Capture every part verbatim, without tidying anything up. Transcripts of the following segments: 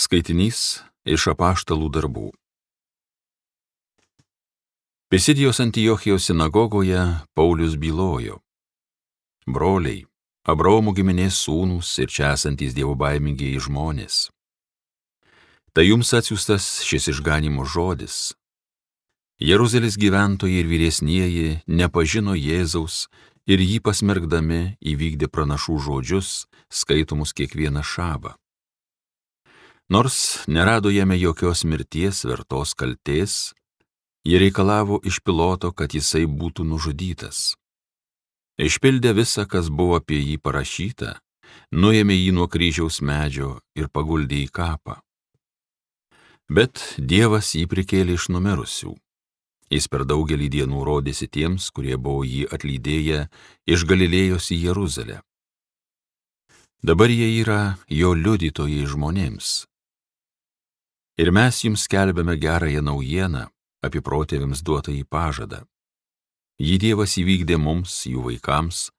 Skaitinys iš apaštalų darbų. Pisidijos Antiochijos sinagogoje Paulius bylojo: Broliai, Abraomo giminės sūnūs ir čia esantys dievobaimingieji žmonės. Tai jums atsiųstas šis išganimo žodis. Jeruzalės gyventojai ir vyresnieji nepažino Jėzaus ir jį pasmerkdami įvykdė pranašų žodžius, skaitomus kiekvieną šabą. Nors nerado jame jokios mirties vertos kaltės, jie reikalavo iš Piloto, kad jisai būtų nužudytas. Išpildę visą, kas buvo apie jį parašyta, nuėmė jį nuo kryžiaus medžio ir paguldė į kapą. Bet Dievas jį prikėlė iš numirusių. Jis per daugelį dienų rodėsi tiems, kurie buvo jį atlydėję iš Galilėjos į Jeruzalę. Dabar jie yra jo liudytojai žmonėms. Ir mes jums skelbiame gerąją naujieną apie protėviams duotąjį pažadą. Jį Dievas įvykdė mums, jų vaikams,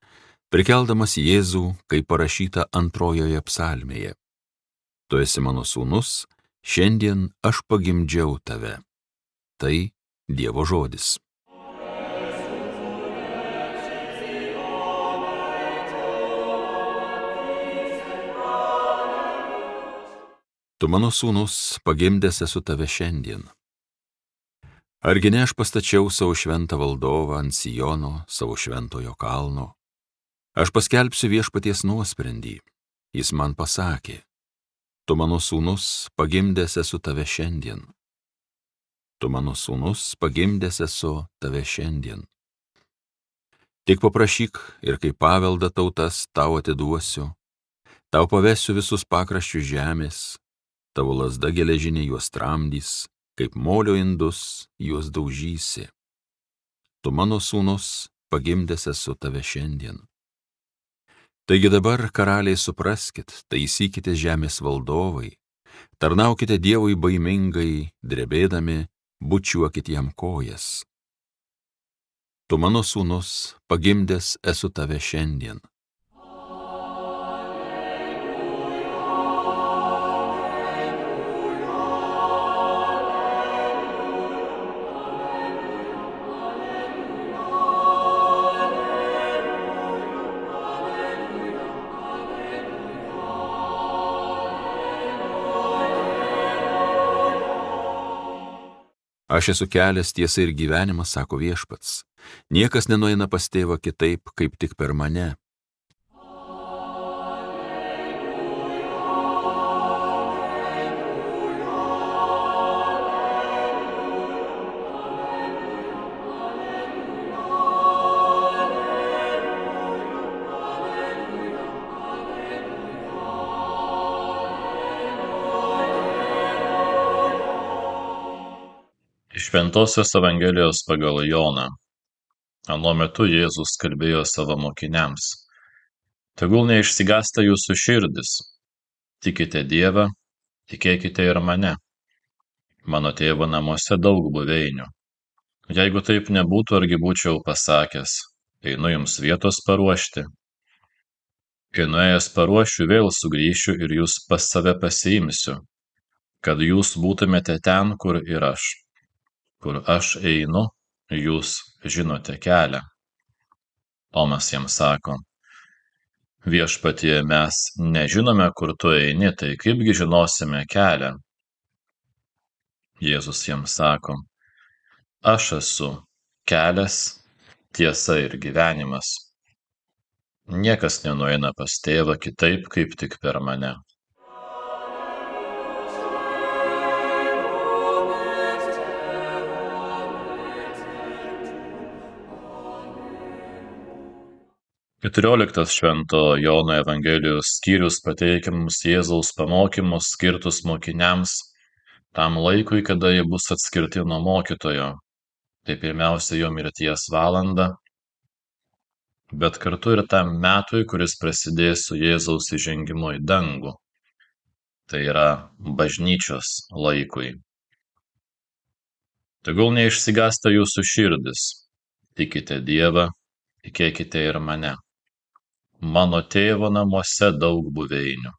prikeldamas Jėzų, kaip parašyta antrojoje psalmėje. Tu esi mano sūnus, šiandien aš pagimdžiau tave. Tai Dievo žodis. Tu mano sūnus, pagimdęs esu tave šiandien. Argi ne aš pastačiau savo šventą valdovą ant Siono, savo šventojo kalno? Aš paskelbsiu viešpaties nuosprendį. Jis man pasakė: Tu mano sūnus, pagimdęs esu tave šiandien. Tu mano sūnus, pagimdęs esu tave šiandien. Tik paprašyk ir kaip paveldą tautas tau atiduosiu, tau pavesiu visus pakraščius žemės, tavo lazda geležinė juos tramdys, kaip molio indus juos daužysi. Tu mano sūnus, pagimdęs esu tave šiandien. Taigi dabar, karaliai, supraskit, taisykite žemės valdovai, tarnaukite Dievui baimingai, drebėdami, bučiuokit jam kojas. Tu mano sūnus, pagimdęs esu tave šiandien. Aš esu kelias, tiesa ir gyvenimas, sako viešpats. Niekas nenueina pas tėvą kitaip, kaip tik per mane. Iš Šventosios Evangelijos pagal Joną. Anuo metu Jėzus kalbėjo savo mokiniams: Tegul neišsigąsta jūsų širdis. Tikite Dievą, tikėkite ir mane. Mano tėvo namuose daug buveinių. Jeigu taip nebūtų, argi būčiau pasakęs: einu jums vietos paruošti. Kai nuėjęs paruošiu, vėl sugrįšiu ir jūs pas save pasiimsiu, kad jūs būtumėte ten, kur ir aš. Kur aš einu, jūs žinote kelią. Tomas jam sako: Viešpatie, mes nežinome, kur tu eini, tai kaipgi žinosime kelią? Jėzus jam sako: Aš esu kelias, tiesa ir gyvenimas. Niekas nenueina pas tėvą kitaip, kaip tik per mane. keturioliktas Švento Jono Evangelijos skyrius pateikia mums Jėzaus pamokymus skirtus mokiniams tam laikui, kada jie bus atskirti nuo mokytojo. Tai pirmiausia jo mirties valanda, bet kartu ir tam metui, kuris prasidės su Jėzaus įžengimu į dangų. Tai yra bažnyčios laikui. Tegul neišsigąsta jūsų širdis. Tikite Dievą, tikėkite ir mane. Mano tėvo namuose daug buveinių.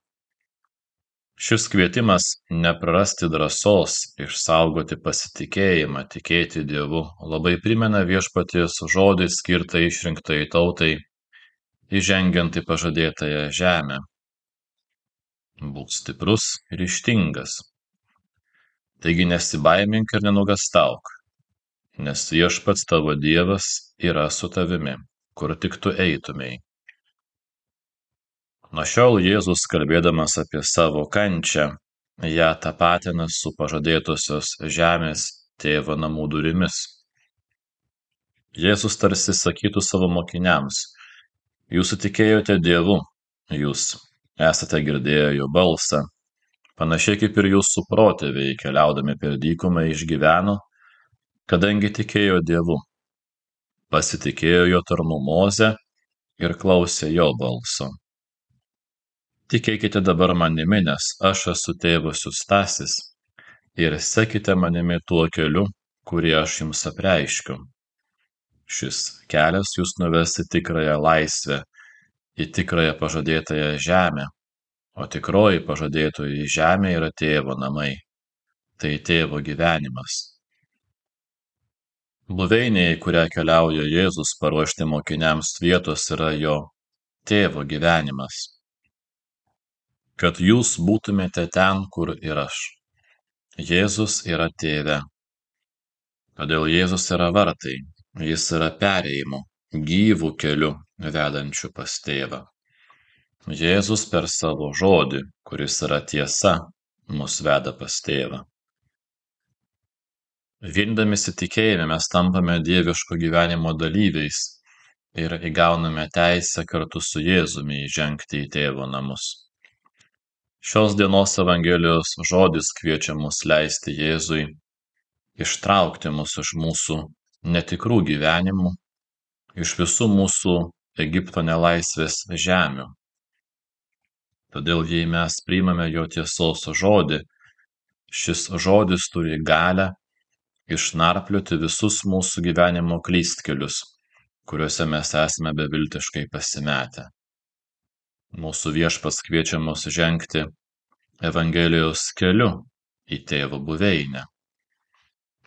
Šis kvietimas neprarasti drąsos, išsaugoti pasitikėjimą, tikėti Dievu labai primena Viešpaties žodį skirtą išrinktai tautai, įžengiant į pažadėtąją žemę. Būk stiprus ir ryžtingas. Taigi nesibaimink ir nenuogąstauk, nes Viešpats tavo Dievas yra su tavimi, kur tik tu eitumei. Nuo šiol Jėzus, kalbėdamas apie savo kančią, ją tapatina su pažadėtosios žemės tėvo namų durimis. Jėzus tarsi sakytų savo mokiniams: jūs tikėjote Dievu, jūs esate girdėję jo balsą, panašiai kaip ir jūsų protėviai keliaudami per dykumą išgyveno, kadangi tikėjo Dievu, pasitikėjo jo tarnu Moze ir klausė jo balso. Tikėkite dabar manimi, nes aš esu tėvo siųstasis, ir sekite manimi tuo keliu, kurį aš jums apreiškiu. Šis kelias jūs nuves į tikrąją laisvę, į tikrąją pažadėtąją žemę, o tikroji pažadėtoji žemė yra tėvo namai, tai tėvo gyvenimas. Buveinė, į kurią keliauja Jėzus paruošti mokiniams vietos, yra jo tėvo gyvenimas. Kad jūs būtumėte ten, kur ir aš. Jėzus yra tėve. Todėl Jėzus yra vartai, jis yra perėjimu, gyvų keliu vedančiu pas tėvą. Jėzus per savo žodį, kuris yra tiesa, mus veda pas tėvą. Vindamisi tikėjime mes tampame dieviško gyvenimo dalyviais ir įgauname teisę kartu su Jėzumi įžengti į tėvo namus. Šios dienos Evangelijos žodis kviečia mus leisti Jėzui ištraukti mus iš mūsų netikrų gyvenimų, iš visų mūsų Egipto nelaisvės žemių. Todėl jei mes priimame jo tiesos žodį, šis žodis turi galią išnarplioti visus mūsų gyvenimo klystkelius, kuriuose mes esame beviltiškai pasimetę. Mūsų Viešpats kviečia mus žengti Evangelijos keliu į tėvo buveinę.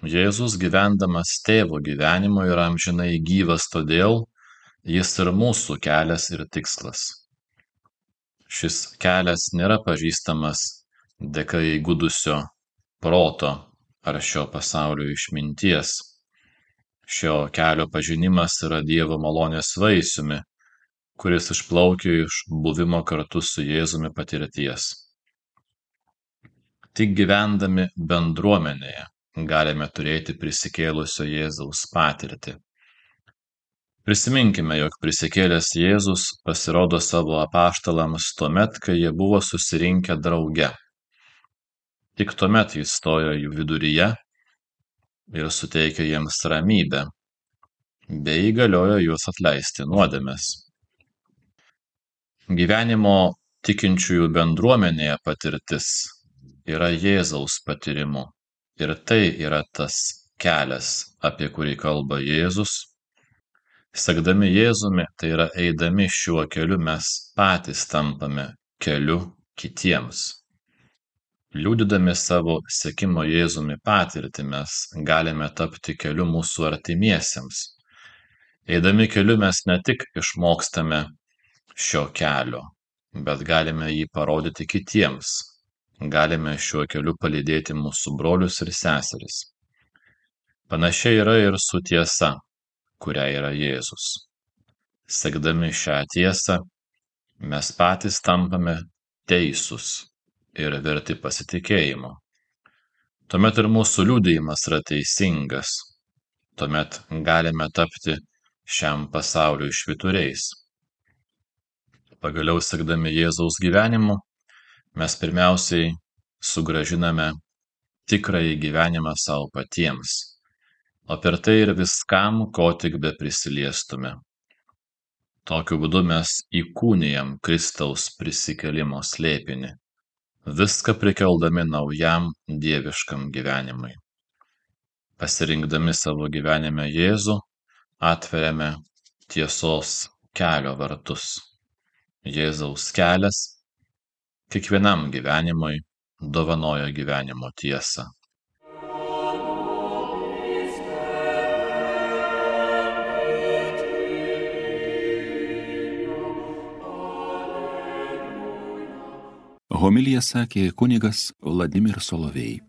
Jėzus, gyvendamas tėvo gyvenimo, yra amžinai gyvas, todėl jis ir mūsų kelias ir tikslas. Šis kelias nėra pažįstamas dėka įgudusio proto ar šio pasaulio išminties. Šio kelio pažinimas yra Dievo malonės vaisiumi, kuris išplaukia iš buvimo kartu su Jėzumi patirties. Tik gyvendami bendruomenėje galime turėti prisikėlusio Jėzaus patirtį. Prisiminkime, jog prisikėlęs Jėzus pasirodo savo apaštalams tuomet, kai jie buvo susirinkę drauge. Tik tuomet jis stojo jų viduryje ir suteikė jiems ramybę, bei įgaliojo juos atleisti nuodėmes. Gyvenimo tikinčiųjų bendruomenėje patirtis yra Jėzaus patyrimu, ir tai yra tas kelias, apie kurį kalba Jėzus. Sekdami Jėzumi, tai yra eidami šiuo keliu, mes patys tampame keliu kitiems. Liudydami savo sekimo Jėzumi patirtį, mes galime tapti keliu mūsų artimiesiems. Eidami keliu mes ne tik išmokstame šio kelio, bet galime jį parodyti kitiems. Galime šiuo keliu palydėti mūsų brolius ir seseris. Panašiai yra ir su tiesa, kuria yra Jėzus. Sekdami šią tiesą, mes patys tampame teisūs ir verti pasitikėjimo. Tuomet ir mūsų liudijimas yra teisingas. Tuomet galime tapti šiam pasauliui švyturiais. Pagaliau, sekdami Jėzaus gyvenimu, mes pirmiausiai sugrąžiname tikrąjį gyvenimą savo patiems, o per tai ir viskam, ko tik be prisiliestume. Tokiu būdu mes įkūnijam Kristaus prisikėlimo slėpinį, viską prikeldami naujam dieviškam gyvenimui. Pasirinkdami savo gyvenime Jėzų, atveriame tiesos kelio vartus. Jėzaus kelias kiekvienam gyvenimui dovanojo gyvenimo tiesą. Homiliją sakė kunigas Vladimir Solovej.